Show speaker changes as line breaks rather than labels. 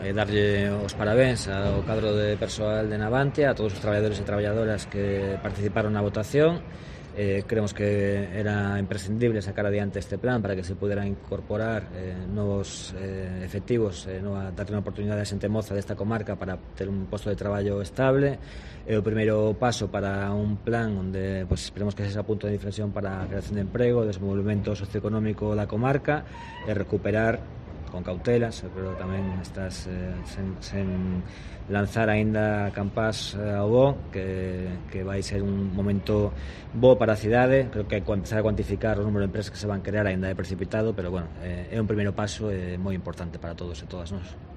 Darlle os parabéns ao cadro de persoal de Navantia, a todos os traballadores e traballadoras que participaron na votación. Creemos que era imprescindible sacar adiante este plan para que se pudera incorporar novos efectivos, darle unha oportunidade a xente moza desta comarca para ter un posto de traballo estable. É o primeiro paso para un plan onde esperemos que sexa punto de inflexión para a creación de emprego, desenvolvemento socioeconómico da comarca e recuperar con cautelas, pero tamén estás sen lanzar aínda campás ao bo, que vai ser un momento bo para a cidade. Creo que empezar a cuantificar o número de empresas que se van crear aínda é precipitado, pero bueno, é un primeiro paso moi importante para todos e todas nós.